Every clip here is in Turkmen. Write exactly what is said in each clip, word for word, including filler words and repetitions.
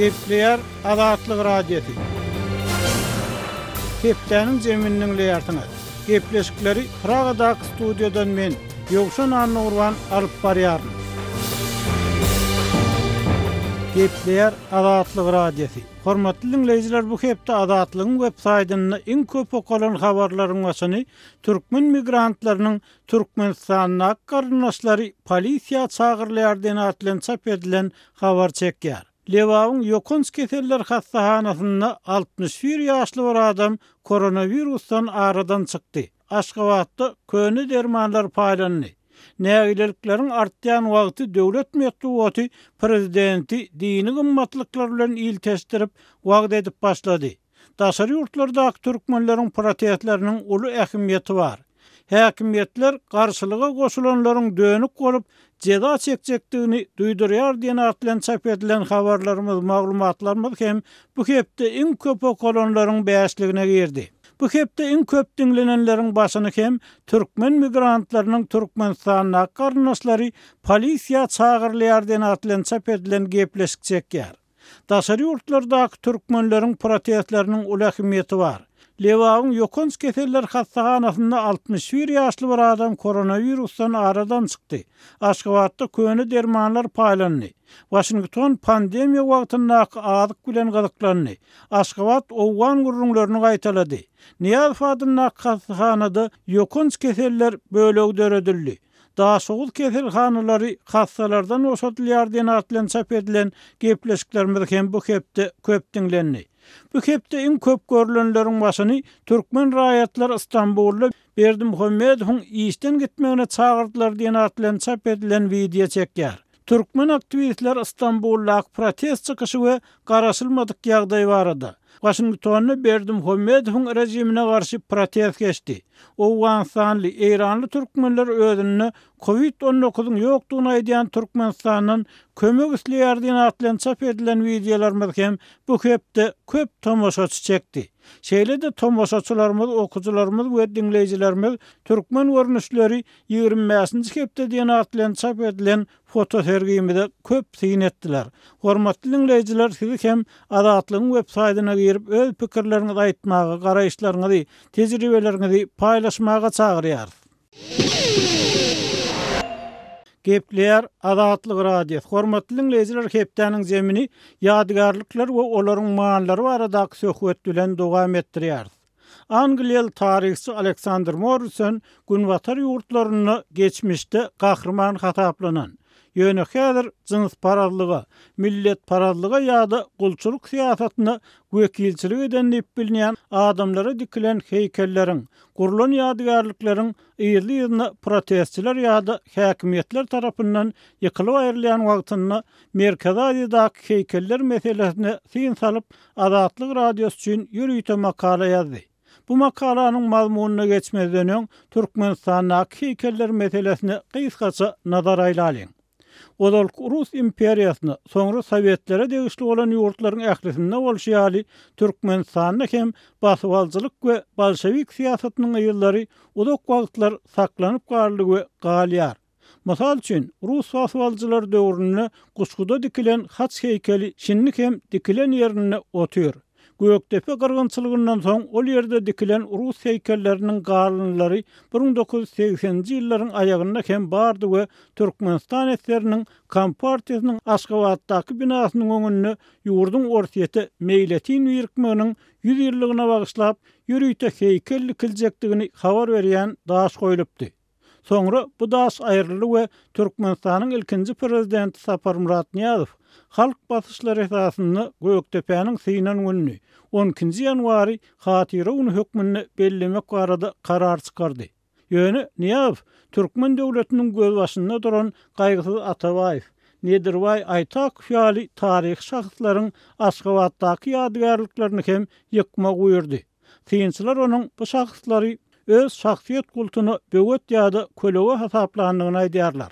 Gepleýär Azatlyk Radiosy. Hepdäniň jemini diňleýärsiňiz. Gepleşikleri Pragadaky studiýadan men, Ýowşan Annagurban alyp barýaryn. Gepleýär Azatlyk Radiosy. Hormatly dinleýjiler, bu hepde Azatlygyň web saýtynda iň köp okalan habarlaryň başyny türkmen migrantlarynyň Türkmenistanda garyndaşlary polisiýa çagyrylýar diýen atly çap edilen habar çekýär. Lebabyň ýokanç keseller hastahanasynda altmyş bir ýaşly bir adam koronawirusdan aradan çykdy. Aşgabatda köne dermanlar paýlandy. Nägilelikleriň artýan wagty döwlet metbugaty prezidenti dini gymmatlyklar bilen ilteşdirip wagt edip başlady. Daşary ýurtlardaky türkmenleriň protestleriniň uly ähmiýeti bar. Häkimiýetler garşylyga goşulanlaryň dönük bolup jeza çekjekdigini duýdurýar diýen atly çap edilen habarlarymyz, maglumatlarymyz hem bu hepde iň köp okalanlaryň bäşligine girdi. Bu hepde iň köp diňlenenleriň başyny hem türkmen migrantlarynyň Türkmenistanda garyndaşlary polisiýa çagyrylýar diýen atly çap edilen gepleşik çekýär. Daşary ýurtlardaky türkmenleriň protestleriniň uly ähmiýeti bar. Lebabyň ýokanç keseller hastahanasynda altmyş bir ýaşly bir adam koronawirusdan aradan çykdy. Aşgabatda köne dermanlar paýlandy. Washington pandemiýa wagtyndaky azyk bilen gyzyklandy. Aşgabat owgan gürrüňlerini gaýtalady. Nyýazow adyndaky hastahanada ýokanç keseller bölegi döredildi. Daşoguz keselhanalary hastalardan boşadylýar diýen atly çap edilen gepleşiklerimiz hem bu hepde köp diňlendi. Bu hepde iň köp görülenleriň başyny türkmen raýatlary Istanbulda Berdimuhamedowyň işden gitmegine çagyrdylar diýen atly çap edilen wideo çekýär. Türkmen aktiwistler Istanbuldaky protest çykyşy we garaşylmadyk ýagdaý barada. Washingtonda Berdimuhamedowyň rejimine garşy protest geçdi. Owganystanly, Eýranly türkmenler özünde COVID on dokuzyň ýokdugyny aýdýan Türkmenistandan kömek isleýär diýen atly çap edilen wideolarymyz hem bu hepde köp tomaşaçy çekdi. Şeýle-de tomaşaçylarymyz, okujylarymyz we diňleýjilerimiz türkmen görnüşleri ýigrimi bäşinji hepde diýen atly çap edilen fotosergimize köp syn etdiler. Hormatly dinleýjiler, sizi hem Azatlygyň web saýtyna girip öz pikirleriňizi aýtmaga, garaýyşlaryňyzy, tejribeleriňizi paýlaşmaga çagyrýarys. Gepleýär Azatlyk Radiosy. Hormatly dinleýjiler, hepdäniň zemini ýadygärlikler we olaryň manyları baradaky söhbet bilen dowam etdirýäris. Angliýaly taryhçy Alexander Morrison Günbatar ýurtlarynda geçmişde gahryman hasaplanan, ýöne häzir jynsparazlyga, milletparazlyga ýa-da gulçulyk syýasatyna wekilçilik eden diýip bilinýän adamlara dikilen heýkelleriň, gurlan ýadygärlikleriň ýerli-ýerine protestçiler ýa-da häkimiýetler tarapyndan ýykylyp aýrylýan wagtynda Merkezi Aziýadaky heýkeller meselesine syn salyp Azatlyk Radiosy üçin ýörite makala ýazdy. Bu makalanyň mazmunyna geçmezden öň Türkmenistandaky heýkeller meselesine gysgaça nazar aýlalyň. Ozalky Rus imperiýasyna, soňra Sowetlere degişli bolan ýurtlaryň ählisinde bolşy ýaly Türkmenistanda hem basybalyjylyk we bolşewik syýasatynyň ýyllary uzak wagtlar saklanyp galdy we galýar. Mysal üçin, Rus basybalyjylar döwründe Guşguda dikilen haç heýkeli şindi hem dikilen ýerinde otyr. Gökdepe gyrgynçylygyndan soň ol ýerde dikilen Rus heýkelleriniň galynlary bir müň dokuz ýüz segseninji ýyllaryň aýagynda hem bardy we Türkmenistan esgeriniň Kompartiýasynyň Aşgabatdaky binasynyň öňünde ýurduň Orsýete meýletin birikmeginiň ýüz ýyllygyna bagyşlap ýörite heýkel dikiljekdigini habar berýän daş goýlupdy. Soňra bu daş aýryldy we Türkmenistanyň ilkinji prezidenti Saparmyrat Nyýazow halk basyşlary esasynda Gökdepäniň synan gününi on ikinji ýanwary hatyra güni hökmünde bellemek barada karar çykardy. Ýöne Nyýazow Türkmen döwletiniň gözbaşynda duran Gaýgysyz Atabaýew, Nedirbaý Aýtakow ýaly taryhy şahslaryň Aşgabatdaky ýadygärliklerini hem ýykmak buýurdy. Synçylar onuň bu şahslary öz şahsyýet kultuna böwet ýa-da kölege hasaplandygyny aýdýarlar.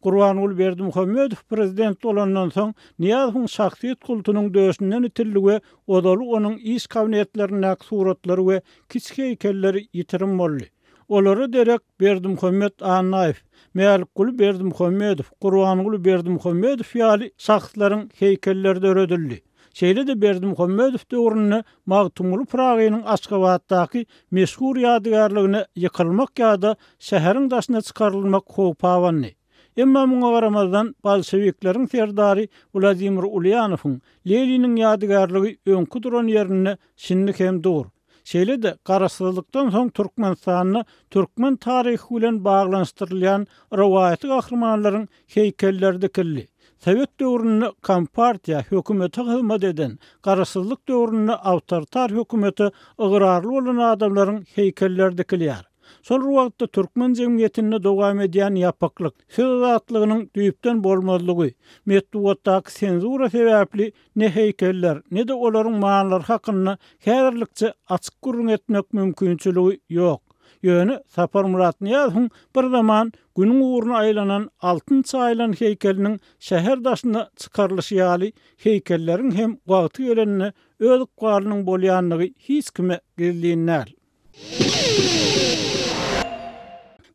Gurbanguly Berdimuhamedow prezident bolandan soň Nyýazowyň şahsyýet kultunyň döşünden itildi we ozaly onuň iş kabinetlerindäki suratlary we kiçi heýkelleri ýitirim boldy. Olara derek Berdimuhamed Annaýew, Mälikguly Berdimuhamedow, Gurbanguly Berdimuhamedow ýaly şahslaryň heýkelleri döredildi. Şeýle-de Berdimuhamedow döwründe Magtymguly Pyragynyň Aşgabatdaky meşhur ýadygärligine ýykylmak ýa-da şäheriň daşyna çykarylmak howpy abandy. Emma muňa garamazdan bolşewikleriň serdary Wladimir Ulýanowyň Leniniň ýadygärligi öňki duran ýerinde şindi hem dur. Şeýle-de Garaşsyzlykdan soň Türkmenistanda türkmen taryhy bilen baglanyşdyrylýan rowaýaty gahrymanlaryň heýkelleri dikildi. Sowet döwründe kompartiýa hökümete hyzmat eden, Garaşsyzlyk döwründe awtoritar hökümete ygrarly bolan adamlaryň heýkelleri dikilýär. Şol wagtda türkmen jemgyýetinde dowam edýän ýapyklyk, söz azatlygynyň düýpden bolmazlygy, metbugatdaky senzura sebäpli ne heýkeller, ne-de olaryň manylary hakynda häzirlikçe açyk gürrüň etmek mümkinçiligi ýok. Ýöne Saparmyrat Nyýazowyň bir zaman günüň ugruna aýlanan altyn çaýylan heýkeliniň şäher daşyna çykarylyşy ýaly heýkelleriň hem wagty gelende öz ykbalynyň bolýanlygy hiç kime gizlin däl.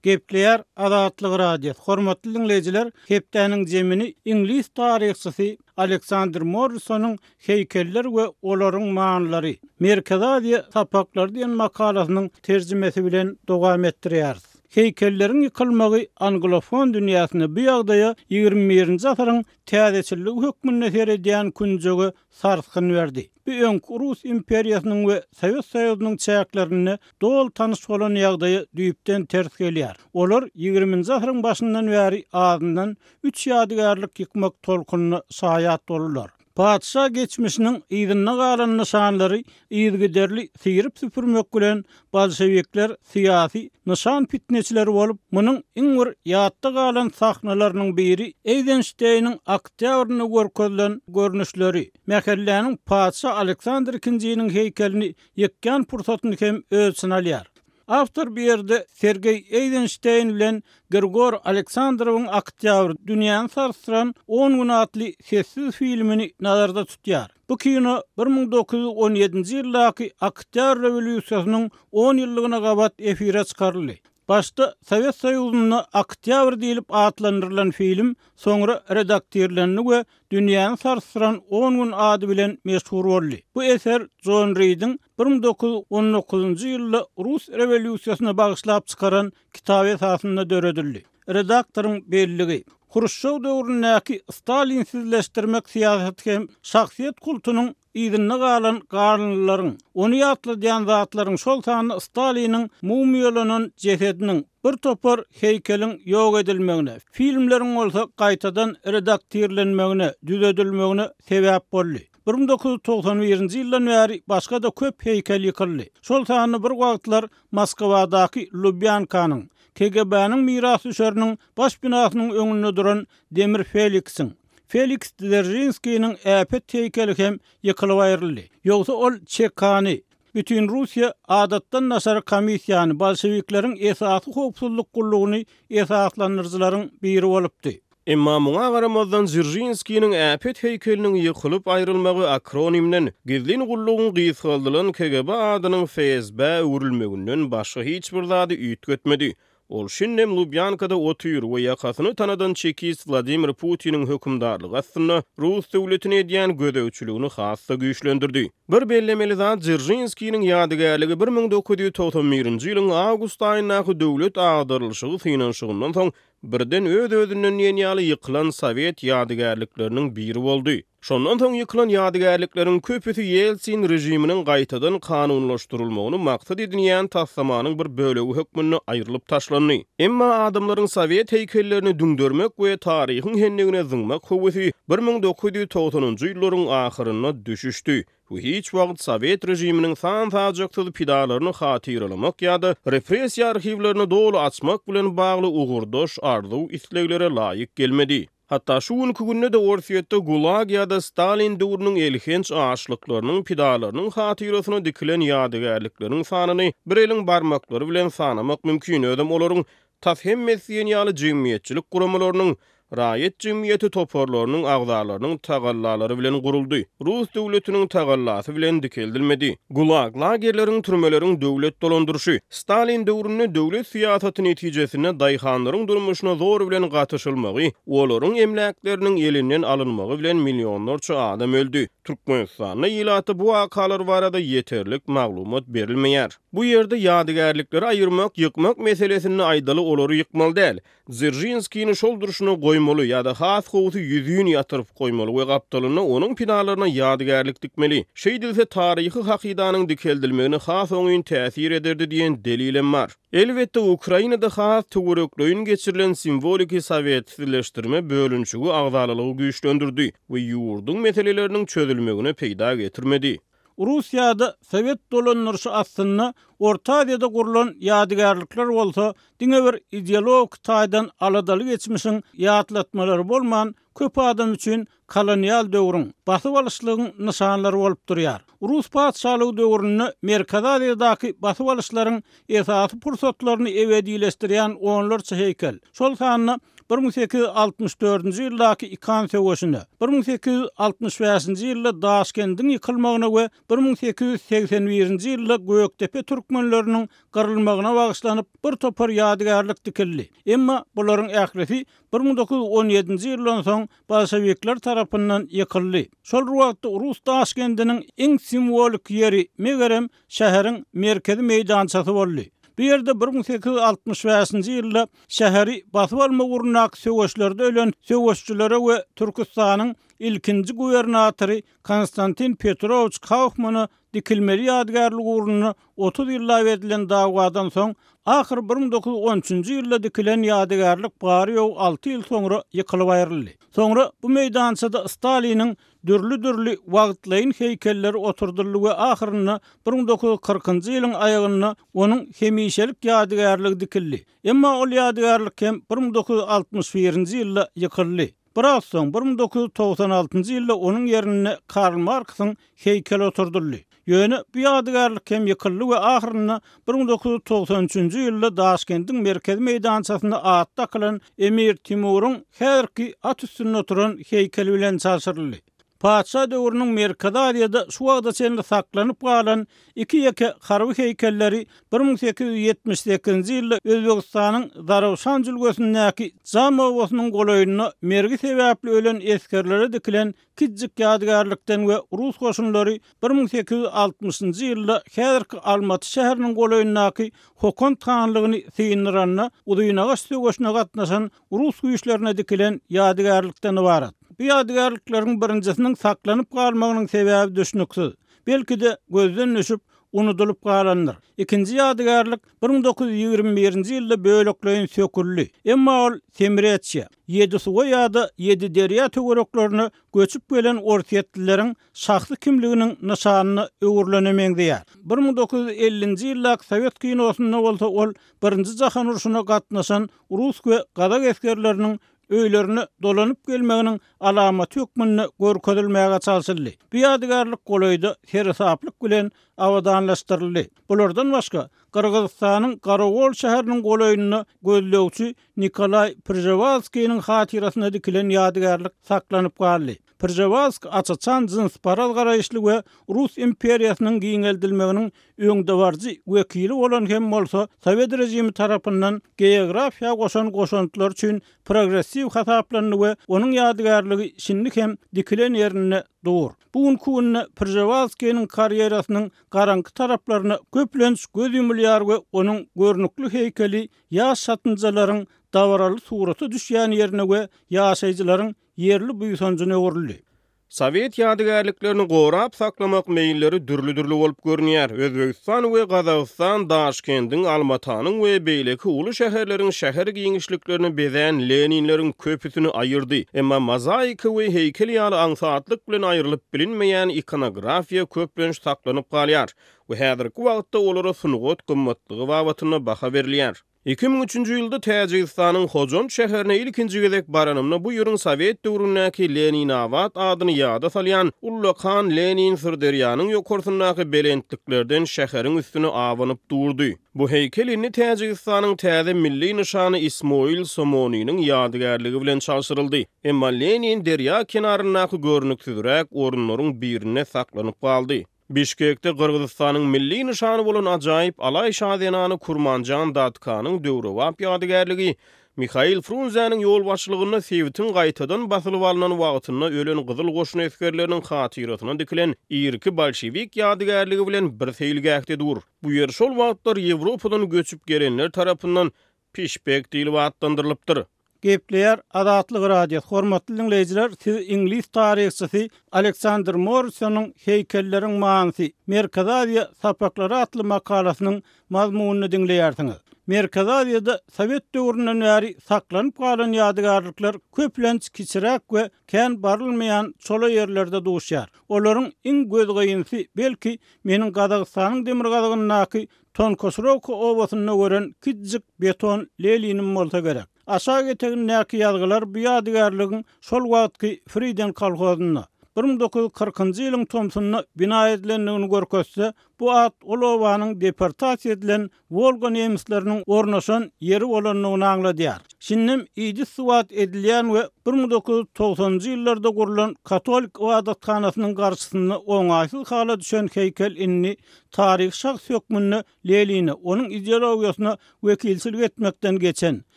Gepleýär Azatlyk Radiosy. Hormatly dinleýjiler, hepdäniň zemini iňlis taryhçysy Aleksandr Morrisonyň Heýkeller we olaryň manylary Merkezi Aziýa sapaklary diýen makalasynyň terjimesi bilen dowam etdirýäris. Heýkelleriň ýykylmagy anglofon dünýäsinde bu ýagdaýa ýigrimi birinji asyryň täzeçilligi hökmünde seredýän künjege sarsgyn berdi. Bu öňki Rus imperiýasynyň we Sowet Soýuzynyň çäklerinde doly tanyş bolan ýagdaýa düýpden ters gelýär. Olar ýigriminji asyryň başyndan bäri azyndan üç ýadygärlik ýykmak tolkunyna şaýat boldular. Patyşa geçmişiniň yzynda galan nyşanlary yzygiderli syryp süpürmek bilen bolşevikler syýasy nyşan fitneçileri bolup, munuň iň bir ýatda galan sahnalarynyň biri Eizensteiniň oktýabrynda görkezilen görnüşleri, mähelläniň patyşa Aleksandr ikinjiniň heýkelini ýykýan pursatyny hem öz içine alýar. Awtor bir ýerde Sergeý Eizenstein bilen Grigor Aleksandrowyň oktýabr dünýäni sarsdyran on gün atly sessiz filmini nazarda tutýar. Bu kino bir müň dokuz ýüz on ýedinji ýyldaky oktýabr rewolýusiýasynyň on ýyllygyna gabat efire çykaryldy. Başda Sowet Soýuzynda oktýabr diýlip atlandyrylan film soňra redaktirlendi we dünýäni sarsdyran on gün ady bilen meşhur boldy. Bu eser John Reed'iň bir müň dokuz ýüz on dokuzynjy ýylda Rus rewolýusiýasyna bagyşlap çykaran kitaby esasynda döredildi. Redaktoryň belligi Hruşçow döwründäki Stalinsizleşdirmek syýasaty hem şahsyýet kultunyň yzynda galan galyndylaryň, ony ýatladýan zatlaryň şol sanda Staliniň mumyýalanan jesediniň bir topar heýkeliň ýok edilmegine, filmleriň bolsa gaýtadan redaktirlenmegine, düzedilmegine sebäp boldy. bir müň dokuz ýüz togsan birinji ýyldan bäri başga-da köp heýkel ýykyldy. Şol sanda bir wagtlar Moskwadaky Lubýankanyň, K G B-niň mirasdüşeriniň baş binasynyň öňünde duran Demir Feliksiň, Feliks Dzeržinskiniň äpet heýkeli hem ýykylyp aýryldy. Ýogsa ol Çekany, bütün Russiýa adatdan daşary komissiýany, bolşewikleriň esasy howpsuzlyk gullugyny esaslandyryjylaryň biri bolupdy. Emma muňa garamazdan Dzeržinskiniň äpet heýkeliniň ýykylyp aýrylmagy akronimden gizlin gullugyň gysgaldylan K G B adynyň F S B öwrülmeginden başga hiç bir zady üýtgetmedi. Ol şindem Lubýankada otyr we ýakasyny tanadan çekist Wladimir Putiniň hökümdarlygy astynda Rus döwletini edýän gözegçiligini has-da güýçlendirdi. Bir bellemeli zat Dzeržinskiniň ýadygärligi bir müň dokuz ýüz togsan birinji ýylyň awgust aýyndaky döwlet agdarylyşygy synanyşygyndan soň birden öz-özünden diýen ýaly ýykylan sowet ýadygärlikleriniň biri boldy. Şondan soň ýykylan ýadygärlikleriň köpüsi Ýeltsin režiminiň gaýtadan kanunlaşdyrylmagyny maksat edinýän taslamanyň bir bölegi hökmünde aýrylyp taşlandy. Emma adamlaryň sowet heýkellerini düňdermek we taryhyň hendigine zyňmak höwesi bir müň dokuz ýüz togsanynjy ýyllaryň ahyrynda düşüşdi we hiç wagt sowet režiminiň san-sajaksyz pidalaryny hatyralamak ýa-da repressiýa arhiwlerini doly açmak bilen bagly ugurdaş arzuw isleglere laýyk gelmedi. Hatta şu günkü günde de Orsýetde Gulag ýa-da Stalin döwrüniň elhenç açlyklarynyň pidalarynyň hatyrasyna dikilen ýadygärlikleriň sanyny bir eliň barmaklary bilen sanamak mümkin. Özem olaryň tas hemmesi diýen ýaly jemgyýetçilik guramalarynyň, raýat jemgyýeti toparlarynyň agzalarynyň tagallalary bilen guruldy. Rus döwletiniň tagallasy bilen dikeldilmedi. Gulag lagerleriň, türmeleriň döwlet dolandyryşy Stalin döwründe döwlet syýasaty netijesinde daýhanlaryň durmuşyna zor bilen gatyşylmagy, olaryň emläkleriniň elinden alynmagy bilen millionlarça adam öldü. Türkmenistanda ilata bu wakalar barada ýeterlik maglumat berilmeýär. Bu ýerde ýadygärlikleri aýyrmak, ýykmak meselesinde aýdaly olary ýykmaly däl. Dzeržinskini şol durşuna goýmaly ýa-da has gowusy ýüzün ýatyryp goýmaly we gapdalynda onuň pinalaryna ýadygärlik dikmeli. Şeýdilse taryhy hakydanyň dikeldilmegine has oňyn täsir ederdi diýen delilem bar. Elbetde Ukrainada has töwerekleýin geçirilen simwoliki sowetsizleşdirme bölünişigi agzalalygy güýçlendirdi we ýurduň meseleleriniň çözülmegine peýda getirmedi. Russiýada Sowet dolandyryşy aslynda Orta Aziýada gurulan ýadygärlikler bolsa diňe bir ideologik taýdan aladaly geçmişiň ýatlatmalary bolman, köp adam üçin kolonial döwrüň, basyp alyşlygyň nyşanlary bolup durýar. Rus patyşalygy döwründe Merkezi Aziýadaky basyp alyşlaryň esasy pursatlaryny ebedileşdirýän onlarça heýkel. Şol sanda bir müň sekiz ýüz altmyş dördünji ýyldaky Ikan söweşine, bir müň sekiz ýüz altmyş bäşinji ýylda Daşkendiň ýykylmagyna we bir müň sekiz ýüz segsen birinji ýylda Gökdepe türkmenleriniň gyrylmagyna bagyşlanyp bir topar ýadygärlik dikildi. Emma bularyň ählisi bir müň dokuz ýüz on ýedinji ýyldan soň bolşevikler tarapyndan ýykyldy. Şol wagtda Rus Daşkendiniň iň simwolik ýeri megerem şäheriň merkezi meýdançasy boldy. Bu ýerde bir müň sekiz ýüz altmyş bäşinji ýylda şäheri basyp almak ugrundaky söweşlerde ölen söweşçilere we Türkistanyň ilkinji gubernatory Konstantin Petrowiç Kaufmana dikilmeli ýadygärlik ugrunda otuz ýyllap edilen dawadan soň ahyr bir müň dokuz ýüz on üçünji ýylda dikilen ýadygärlik bary ýok alty ýyl soňra ýykylyp aýryldy. Soňra bu meýdançada Staliniň dürli-dürli wagtlaýyn heýkelleri oturdyldy we ahyrynda bir müň dokuz ýüz kyrkynjy ýylyň aýagynda onuň hemişelik ýadygärligi dikildi. Emma ol ýadygärlik hem bir müň dokuz ýüz altmyş birinji ýylda ýykyldy. Biraz soň bir müň dokuz ýüz togsan altynjy ýylda onuň ýerine Karl Marksyň heýkeli oturdyldy. Ýöne bu ýadygärlik hem ýykyldy we ahyrynda bir müň dokuz ýüz togsan üçünji ýylda Daşkendiň merkezi meýdançasynda at dakylan Emir Timuryň häzirki at üstünde oturan heýkeli bilen çalşyryldy. Patyşa döwrüniň Merkezi Aziýada şu wagta çenli saklanyp galan iki ýeke harby heýkelleri bir müň sekiz ýüz ýetmiş sekizinji ýylda Özbegistanyň Zarafşan jülgesindäki Jam obasynyň golaýynda mergi sebäpli ölen esgerlere dikilen kiçijik ýadygärlikden we Rus goşunlary bir müň sekiz ýüz altmyşynjy ýylda häzirki Almaty şäheriniň golaýyndaky Hokant hanlygyny synlyranda Uzynagaç söweşine gatnaşan Rus güýçlerine dikilen ýadygärlikden ybarat. Bu ýadygärlikleriň birinjisiniň saklanyp galmagynyň sebäbi düşnüksiz. Belki de gözden düşüp unudulyp galandyr. Ikinji ýadygärlik bir müň dokuz ýüz ýigrimi birinji ýylda bölekleýin söküldi. Emma ol Semreçe, ýedi suwa ýa-da ýedi derýa töwereklerine göçüp gelen orsýetlileriň şahsy kimliginiň nyşanyna öwrülene meňzeýär. Bir müň dokuz ýüz ellinji ýyldaky Sowet kinosynda bolsa ol birinji jahan urşuna gatnaşan rus we gazak esgerleriniň öýlerine dolanyp gelmeginiň alamaty hökmünde görkezilmäge çalşyldy. Bu ýadygärlik golaýda seresaplyk bilen abadanlaşdyryldy. Bulardan başga Gyrgyzystanyň Garagol şäheriniň golaýynda gözlegçi Nikolay Prjevalskiyniň hatyrasyna dikilen ýadygärlik saklanyp galdy. Prjevalsk açaçan jynsparaz garaýyşly we Rus imperiýasynyň giňeldilmeginiň öňdebaryjy wekili bolan hem bolsa Sowet režimi tarapyndan geografiýa goşan goşantlar üçin progressiw hasaplandy we onuň ýadygärligi şindi hem dikilen ýerinde dur. Bu günkü günde Prjevalskiyniň karýerasynyň garaňky taraplaryna köplenç göz ýumulýar we onuň görnükli heýkeli ýaş satynjalaryň dabaraly surata düşýän ýerine we ýaşaýjylaryň ýerli buýsanjyna öwrüldi. Sowet ýadygärliklerini gorap saklamak meýilleri dürli-dürli bolup görünýär. Özbegistan we Gazagystan Daşkendiň, Almatanyň we beýleki uly şäherleriň şäher giňişliklerini bezän Leninleriň köpüsini aýyrdy. Emma mozaika we heýkel ýaly aňsatlyk bilen aýrylyp bilinmeýän ikonografiýa köplenç saklanyp galýar we häzirki wagtda olara sungat gymmatlygy babatynda baha berilýär. Iki müň üçünji ýylda Täjigistanyň Hojant şäherine ilkinji gezek baranymda bu ýeriň Sowet döwründäki Leninabad adyny ýada salýan Ullakan Lenin Syrderýanyň ýokarsyndaky belentliklerden şäheriň üstüne abanyp durdy. Bu heýkel indi Täjigistanyň täze milli nyşany Ismoil Somoniniň ýadygärligi bilen çalşyryldy. Emma Lenin derýa kenaryndaky görnüksizräk orunlaryň birinde saklanyp galdy. Bişkekde Gyrgyzystanyň milli nyşany bolan ajaýyp Alaý şazenany Kurmanjan Datkanyň döwrebap ýadygärligi Mihail Frunzäniň ýolbaşçylygynda sebitiň gaýtadan basylyp alnan wagtynda ölen Gyzyl goşun esgerleriniň hatyrasyna dikilen irki bolşewik ýadygärligi bilen bir seýilgähde dur. Bu ýer şol wagtlar Ýewropadan göçüp gelenler tarapyndan Pişpek diýlip atlandyrylypdyr. Gepleýär Azatlyk Radiosy. Hormatly diňleýjiler, siz iňlis taryhçysy Aleksandr Morrisonyň Heýkelleriň manysy Merkezi Aziýa sapaklary atly makalasynyň mazmunyny diňleýärsiňiz. Merkezi Aziýada Sowet döwründen bäri saklanyp galan ýadygärlikler köplenç kiçiräk we kän barylmaýan çola ýerlerde duşýar. Olaryň iň gözgynysi belki meniň Gazagystanyň demirgazygyndaky Tonkosrowka obasynda gören kiçijik beton Leninim bolsa gerek. Aşak etegindäki ýazgylar bu ýadygärligiň şol wagtky Friden kolhozynda bir müň dokuz ýüz kyrkynjy ýylyň tomsunda bina edilendigini görkezse, bu at ol obanyň deportasiýa edilen Wolga nemisleriniň ornaşan ýeri bolandygyny aňladýar. Şindem idis suwat edilýän we bir müň dokuz ýüz togsanynjy ýyllarda gurlan katolik ybadathanasynyň garşysynda oňaýsyz hala düşen heýkel indi taryhy şahs hökmünde Lenine, onuň ideologiýasyna wekilçilik etmekden geçen,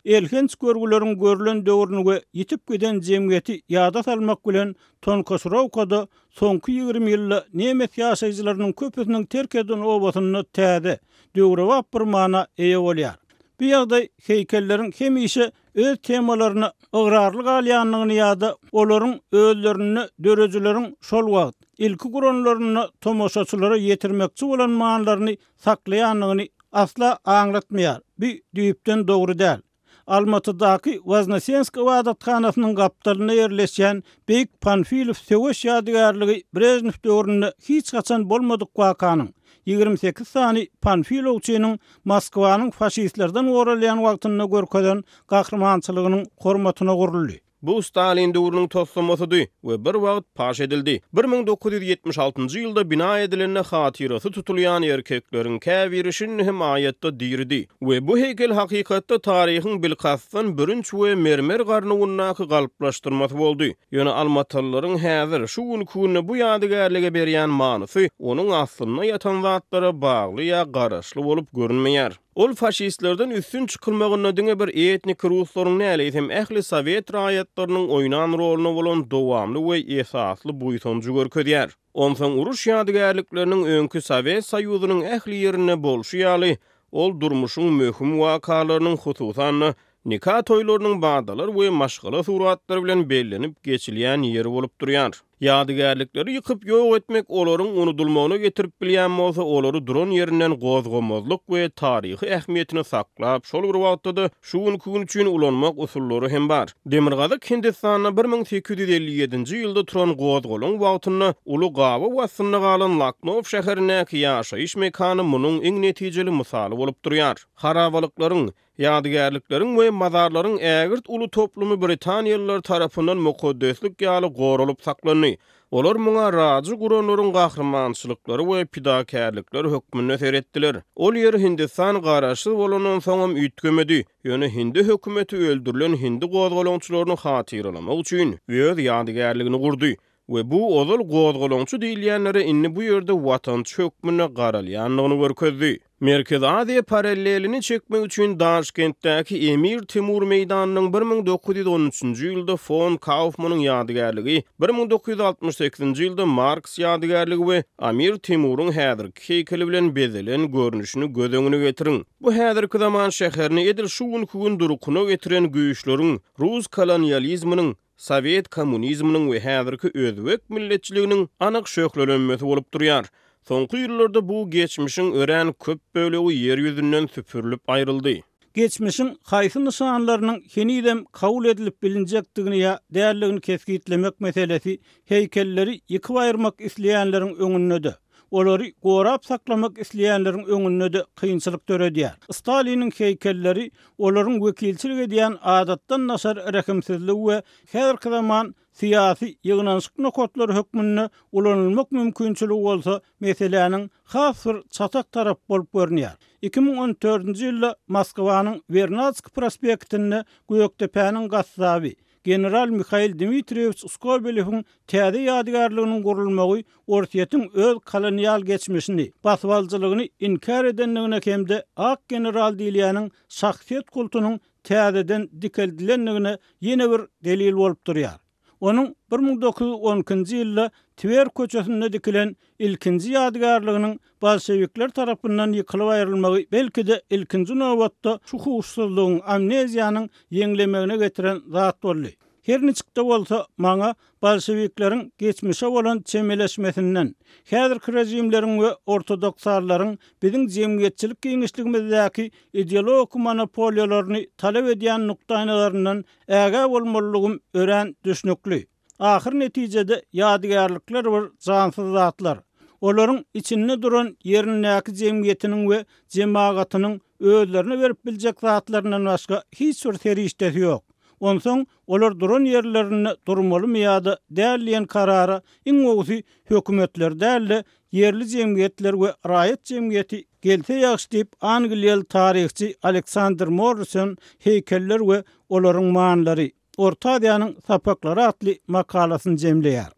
elhenç görgüleriň görülen döwrüni we ýitip giden jemgyýeti ýada salmak bilen Tonkosrowkada soňky ýigrimi ýylda nemes ýaşaýjylarynyň köpüsiniň terk eden obasynda täze, döwrebap bir mana eýe bolýar. Bu ýagdaý heýkelleriň hemişe öz temalaryna ygrarly galýandygyny ýa-da olaryň özlerinde döredijileriň şol wagt ilki guranlaryna tomaşaçylara ýetirmekçi bolan manylaryny saklaýandygyny asla aňlatmaýar. Bu düýpden dogry däl. Almatydaky Woznesensk ybadathanasynyň gapdalynda ýerleşýän Beýik Panfilow söweş ýadygärligi Brejnew döwründe hiç haçan bolmadyk wakanyň ýigrimi sekiz sany Panfilowçynyň Moskwanyň faşistlerden goralýan wagtynda görkezen gahrymançylygynyň hormatyna guruldy. Bu Stalin döwrüniň toslamasydy we bir wagt paş edildi. bir müň dokuz ýüz ýetmiş altynjy ýylda bina edilende hatyrasy tutulýan erkekleriň käbiri şindi hem aýatda diridi we bu heýkel hakykatda taryhyň bilkastdan bürünç we mermer garnawundaky galplaşdyrmasy boldy. Ýöne almatalylaryň häzir şu günkü günde bu ýadygärlige berýän manysy onuň aslynda ýatan zatlara bagly ýa garaşly bolup görünmeýär. Ol faşistlerden üstün çykylmagynda diňe bir etnik ruslaryň näleýsem ähli sowet raýatlarynyň oýnan roluna bolan dowamly we esasly buýsanjy görkezýär. Onsoň uruş ýadygärlikleriniň öňki Sowet Soýuzynyň ähli ýerinde bolşy ýaly, ol durmuşyň möhüm wakalarynyň hususan-da nika toýlarynyň badalar we maşgala suratlary bilen bellenip geçilýän ýeri bolup durýar. Ýadygärlikleri ýykyp ýok etmek olaryň unudylmagyna getirip bilýän bolsa, olary duran ýerinden gozgamazlyk we taryhy ähmiýetini saklap, şol bir wagtda-da şu günkü gün üçin ulanmak usullary hem bar. Demirgazyk Hindistanda bir müň sekiz ýüz elli ýedinji ýylda turan gozgalaň wagtynda uly gabaw astynda galan Laknow şäherindäki ýaşaýyş mekany munuň iň netijeli mysaly bolup durýar. Harabalyklaryň, ýadygärlikleriň we mazarlaryň ägirt uly toplumy Britaniýalylar tarapyndan mukaddeslik ýaly goralyp saklandy. Olar muňa rajy guranlaryň gahrymançylyklary we pidakärlikleri hökmünde seretdiler. Ol ýer Hindistan garaşsyz bolandan soňam üýtgemedi. Ýöne hindi hökümeti öldürilen hindi gozgalaňçylaryny hatyralamak üçin öz ýadygärligini gurdy we bu ozal gozgalaňçy diýilýänlere indi bu ýerde watançy hökmünde garalýandygyny görkezdi. Merkezi Aziýa parallelini çekmek üçin Daşkentdäki Emir Timur meýdanynyň bir müň dokuz ýüz on üçünji ýylda fon Kaufmanyň ýadygärligi, bir müň dokuz ýüz altmyş sekizinji ýylda Marks ýadygärligi we Amir Timuryň häzirki heýkeli bilen bezelen görnüşini göz öňüne getiriň. Bu häzirki zaman şäherini edil şu günkü gün durkuna getiren güýçleriň, rus kolonializminiň, sowet kommunizminiň we häzirki özbek milletçiliginiň anyk şöhlelenmesi bolup durýar. Soňky ýyllarda bu geçmişiň örän köp bölegi ýer ýüzünden süpürilip aýryldy. Geçmişiň haýsy nyşanlarynyň henizem kabul edilip bilinjekdigini ýa däldigini kesgitlemek meselesi heýkelleri ýykyp aýyrmak isleýänleriň öňünde-de, olary gorap saklamak isleýänleriň öňünde-de kynçylyk döredýär. Staliniň heýkelleri olaryň wekilçilik edýän adatdan daşary rehimsizligi we häzirki zaman syýasy ýygnanyşyk nokatlary hökmünde ulanylmak mümkinçiligi bolsa meseläniň has bir çatak tarap bolup görünýär. iki müň on dördünji ýylda Moskwanyň Wernadsk prospektinde Gökdepäniň gassaby General Mihail Dmitriýewich Skobelewiň täze ýadygärliginiň gurulmagy Orsýetiň öz kolonial geçmişini, basybalyjylygyny inkär edendigine hem-de Ak general diýilýäniň şahsyýet kultunyň täzeden dikeldilendigine ýene bir delil bolup durýar. Onuň bir müň dokuz ýüz on ikinji ýylda Twer köçesinde dikilen ilkinji ýadygärliginiň bolşevikler tarapyndan ýykylyp aýrylmagy belki-de ilkinji nobatda şu huşsuzlygyň, amneziýanyň ýeňlemegine getiren zat boldy. Her niçik-de bolsa maňa bolşevikleriň geçmişe bolan çemeleşmesinden, häzirki rejimleriň we ortodoksallaryň biziň jemgyýetçilik giňişligimizdäki ideologik monopoliýalaryny talap edýän nukdaýnalaryndan ägä bolmalylygym örän düşnükli. Ahyr netijede ýadygärlikler bir jansyz zatlar. Olaryň içinde duran ýerindäki jemgyýetiniň we jemagatynyň özlerine berip biljek zatlaryndan başga hiç bir serişdesi ýok. Onsoň olar duran ýerlerinde durmalymy ýa-da däl diýen karara iň gowusy hökümetler däl-de ýerli jemgyýetler we raýat jemgyýeti gelse ýagşy diýip Angliýaly taryhçy Aleksandr Morrison heýkeller we olaryň manlary Orta Aziýanyň sapaklary atly makalasyny jemleýär.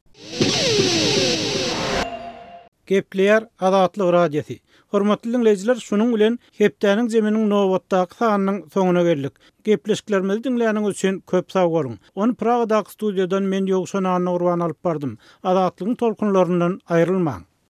Gepleýär Azatlyk Radiosy. Hormatly dinleýjiler, şunuň bilen hepdäniň zeminiň nobatdaky sanynyň soňuna geldik. Gepleşiklerimizi diňläniňiz üçin köp sag boluň. Ony Pragadaky studiýadan men Ýowşan Annagurban alyp bardym. Azatlygyň tolkunlaryndan aýrylmaň.